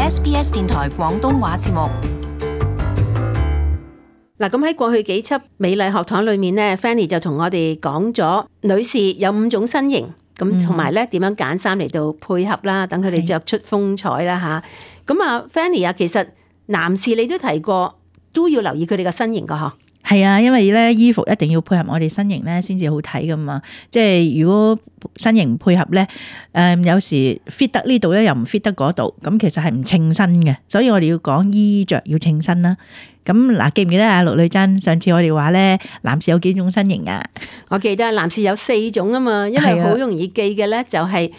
SBS 電台廣東話節目。嗱，咁喺過去幾輯美麗學堂裏面呢 Fanny 就同我哋講咗女士有5種身形，咁同埋咧點樣揀衫嚟到配合啦，等佢哋着出風采啦吓。咁啊 Fanny 啊，其實男士你都提過，都要留意佢哋嘅身形噶嗬。係啊，因為咧衣服一定要配合我哋身形咧，先至好睇噶嘛。即係如果身形唔配合咧，有時 fit 得呢度咧，又唔 fit 得嗰度，咁其實係唔稱身嘅。所以我哋要講衣着要稱身啦。咁嗱，記唔記得啊？陸女珍上次我哋話咧，男士有幾種身形啊？我記得男士有4種啊嘛，因為好容易記嘅咧就係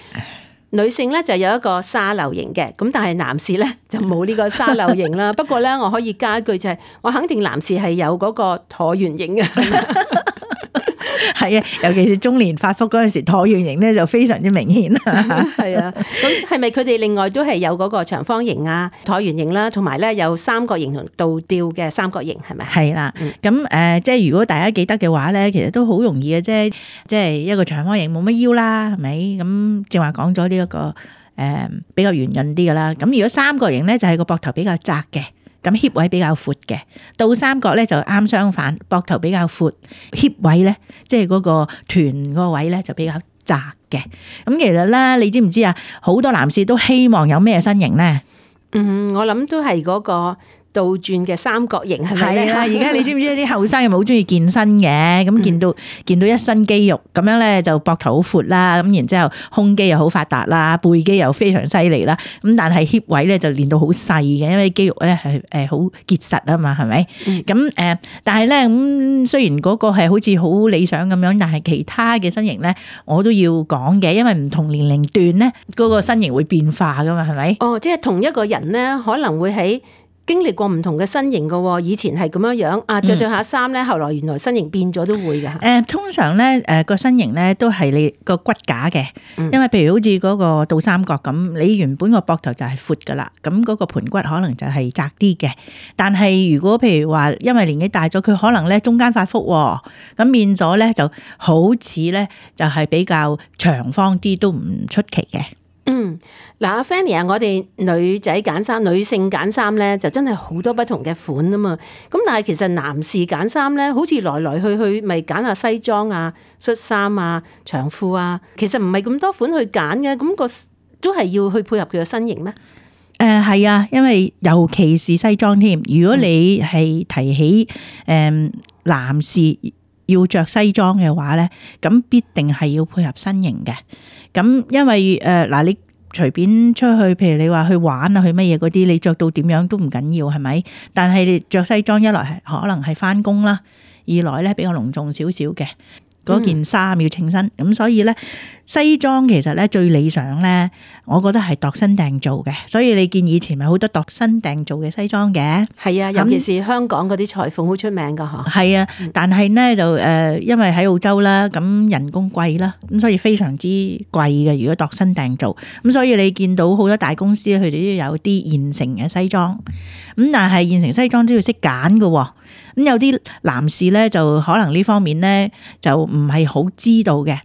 女性咧就有一個沙漏型嘅，咁但係男士咧就冇呢個沙漏型啦。不過咧我可以加一句就係，我肯定男士係有嗰個橢圓形嘅。係啊，尤其是中年發福嗰陣時，橢圓形咧就非常之明顯。係啊，咁係咪佢哋另外都係有嗰個長方形啊、橢圓形啦，同埋咧有三角形同倒吊嘅三角形係咪？係啦，咁即係如果大家記得嘅話咧，其實都好容易嘅啫，即係一個長方形冇乜腰啦，係咪？咁正話講咗呢一個比較圓潤啲嘅啦。咁如果三角形咧，就係個膊頭比較窄嘅。咁 hip 位比較闊嘅，倒三角咧就啱相反，膊頭比較闊 ，hip 位咧即係嗰個臀個位咧就比較窄嘅。咁其實咧，你知唔知啊？好多男士都希望有咩身形咧？我諗都係嗰個倒轉嘅三角形係咪咧？係啊！而家你知唔知啲後生又好中意健身嘅？咁見到一身肌肉咁樣咧，就膊頭好闊啦，咁然之後胸肌又好發達啦，背肌又非常犀利啦。咁但係 hip 位咧就練到好細嘅，因為肌肉咧係好結實啊嘛，係咪？咁但係咧咁雖然嗰個係好似好理想咁樣，但係其他嘅身形咧我都要講嘅，因為唔同年齡段咧嗰個身形會變化噶嘛，係咪？哦，即係同一個人咧，可能會喺經歷過唔同嘅身形嘅，以前係咁樣樣啊，着下衫咧，後來原來身形變咗都會㗎。通常咧個身形咧都係你個骨架嘅，因為譬如好似嗰個倒三角咁，你原本個膊頭就係闊㗎啦，咁嗰個盤骨可能就係窄啲嘅。但係如果譬如話因為年紀大咗，佢可能咧中間發福，咁變咗咧就好似咧就係比較長方啲，都唔出奇嘅。嗱，阿 Fanny 啊，我哋女仔揀衫，女性揀衫咧，就真係好多不同嘅款啊嘛。咁但係其實男士揀衫咧，好似來來去去，咪揀下西裝啊、恤衫啊、長褲啊，其實唔係咁多款去揀嘅，咁個都係要去配合佢嘅身形咩？係啊，因為尤其是西裝添。如果你係提起男士要着西裝嘅話咧，咁必定係要配合身形嘅。咁因為嗱你隨便出去，譬如你話去玩啊，去乜嘢嗰啲，你着到點樣都唔緊要，係咪？但係你着西裝，一來係可能係翻工啦，二來咧比較隆重少少嘅。嗰件衫要稱身，咁所以咧西裝其實咧最理想咧，我覺得係度身訂做嘅。所以你見以前咪好多度身訂做嘅西裝嘅。係啊，尤其是香港嗰啲裁縫好出名噶嗬。係啊，但係咧就因為喺澳洲啦，咁人工貴啦，咁所以非常之貴嘅。如果度身訂做，咁所以你見到好多大公司佢哋都有啲現成嘅西裝，咁但係現成西裝都要識揀㗎。咁有啲男士咧就可能呢方面咧就唔係好知道嘅，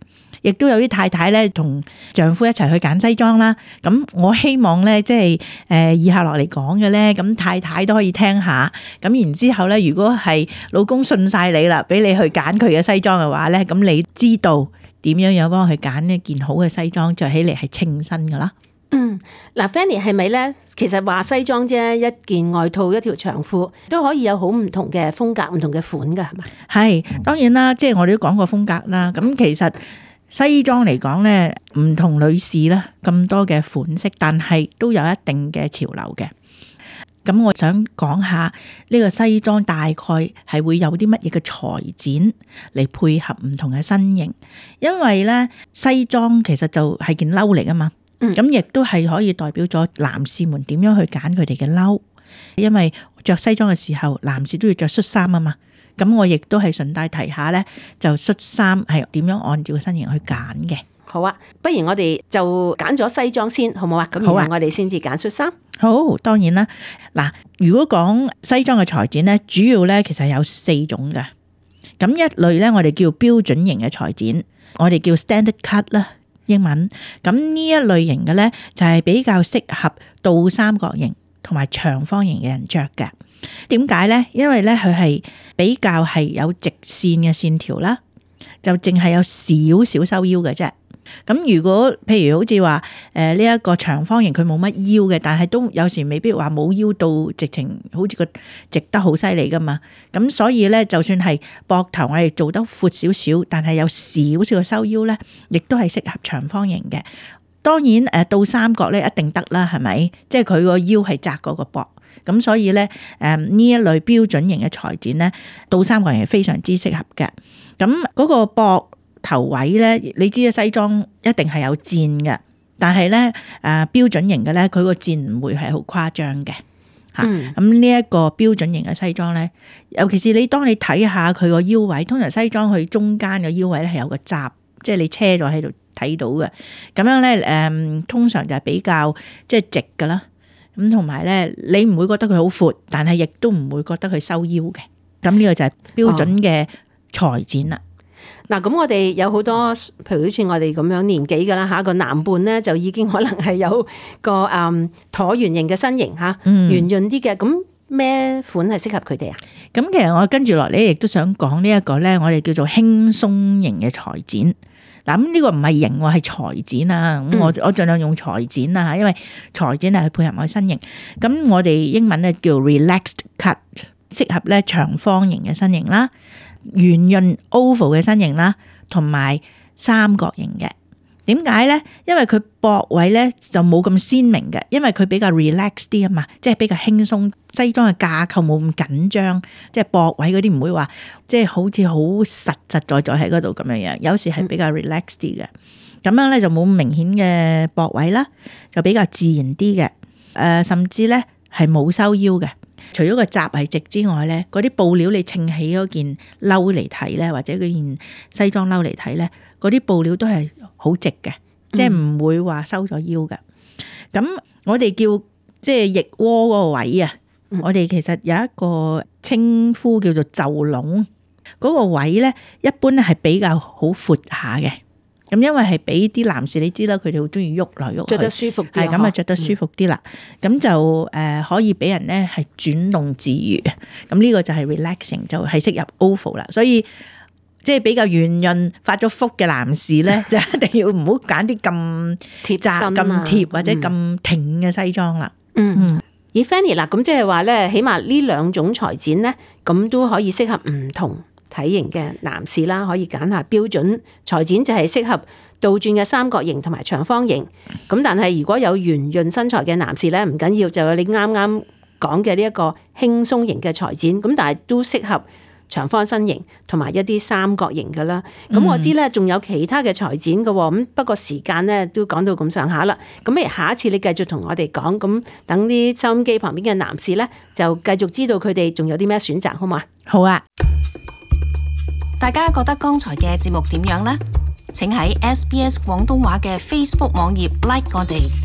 亦都有啲太太咧同丈夫一齊去揀西裝啦。咁我希望咧即係以下落嚟講嘅咧，咁太太都可以聽下。咁然之後咧，如果係老公信晒你啦，俾你去揀佢嘅西裝嘅話咧，咁你知道點樣幫佢揀一件好嘅西裝，着起嚟係稱身噶啦。嗱 Fanny 係咪咧？其實話西裝啫，一件外套、一條長褲都可以有好唔同嘅風格、唔同嘅款噶，係嘛？係，當然啦，即係我哋都講過風格啦。咁其實西裝嚟講咧，唔同女士啦，咁多嘅款式，但係都有一定嘅潮流嘅。咁我想講下呢個西裝大概係會有啲乜嘢嘅裁剪嚟配合唔同嘅身形，因為咧西裝其實就係件褸嚟啊嘛。咁亦都係可以代表咗男士們點樣去揀佢哋嘅褸，因為着西裝嘅時候，男士都要着恤衫啊嘛。咁我亦都係順帶提下咧，就恤衫係點樣按照個身形去揀嘅。好啊，不如我哋就揀咗西裝先，好唔好啊？咁然後我哋先至揀恤衫。好，當然啦。嗱，如果講西裝嘅裁剪咧，主要咧其實有4種嘅。咁一類咧，我哋叫標準型嘅裁剪，我哋叫 standard cut 啦。英文。咁呢一類型嘅咧就係比較適合倒三角形同埋長方形嘅人着嘅。點解咧？因為咧佢係比較係有直線嘅線條啦，就淨係有少少收腰嘅啫。咁如果譬如好似話呢一個長方形佢冇乜腰嘅，但係都有時未必話冇腰到直情好似個直得好犀利噶嘛。咁所以咧，就算係膊頭我哋做得闊少少，但係有少少嘅收腰咧，亦都係適合長方形嘅。當然倒三角咧一定得啦，係咪？即係佢個腰係窄過個膊，咁所以咧呢一類標準型嘅裁剪咧，倒三角形係非常之適合嘅。咁嗰個膊頭位咧，你知西裝一定係有箭嘅，但係咧標準型嘅咧，佢個箭唔會係好誇張嘅嚇。咁呢一個標準型嘅西裝咧，尤其是當你睇下佢個腰位，通常西裝佢中間嘅腰位咧係有個閘，即係你車咗喺度睇到嘅。咁樣咧通常就係比較即係直㗎啦。咁同埋咧，你唔會覺得佢好闊，但係亦都唔會覺得佢收腰嘅。咁呢個就係標準嘅裁剪啦。嗱，咁我哋有好多，譬如好似我哋咁樣年紀㗎啦嚇，個男伴咧就已經可能係有個橢圓形嘅身形嚇，圓潤啲嘅，咁咩款係適合佢哋啊？咁其實我跟住落嚟亦都想講呢一個咧，我哋叫做輕鬆型嘅裁剪。嗱，咁呢個唔係型喎，係裁剪啊。咁我盡量用裁剪啊，因為裁剪係配合我身形。咁我哋英文咧叫 relaxed cut， 適合咧長方形嘅身形啦。圓潤 oval 嘅身形啦，同埋三角形嘅。點解咧？因為佢膊位咧就冇咁鮮明嘅，因為佢比較 relax 啲啊嘛，即係比較輕鬆。西裝嘅架構冇咁緊張，即係膊位嗰啲唔會話即係好似好實在喺嗰度咁樣樣。有時係比較 relax 啲嘅，咁樣咧就冇咁明顯嘅膊位啦，就比較自然啲嘅。甚至咧係冇收腰嘅。除咗個閘係直之外咧，嗰啲布料你稱起嗰件褸嚟睇咧，或者嗰件西裝褸嚟睇咧，嗰啲布料都係好直嘅，即係唔會話收咗腰嘅。咁我哋叫即係腋窩嗰個位啊，我哋其實有一個稱呼叫做袖籠，嗰個位咧一般咧係比較好闊下嘅。咁因為係俾啲男士，你知啦，佢哋好中意喐來喐去，着得舒服啲，係咁啊，着得舒服啲啦。咁就可以俾人咧係轉動自如。咁呢個就係 relaxing， 就係適合 oval 啦。所以即係比較圓潤、發咗福嘅男士咧，就一定要唔好揀啲咁貼窄、咁貼或者咁挺嘅西裝啦。而 Fanny 嗱，咁即係話咧，起碼呢兩種裁剪咧，咁都可以適合唔同體型嘅男士啦，可以揀下標準裁剪，就係適合倒轉嘅三角形同埋長方形。咁但係如果有圓潤身材嘅男士咧，唔緊要，就有你啱啱講嘅呢一個輕鬆型嘅裁剪。咁但係都適合長方身形同埋一啲三角形嘅啦。咁我知咧仲有其他嘅裁剪嘅，咁不過時間咧都講到咁上下啦。咁不如下一次你繼續同我哋講，咁等啲收音機旁邊嘅男士咧就繼續知道佢哋仲有啲咩選擇，好嘛？好啊。大家覺得剛才嘅節目點樣呢？請喺SBS 廣東話嘅 Facebook 網頁 like 我哋。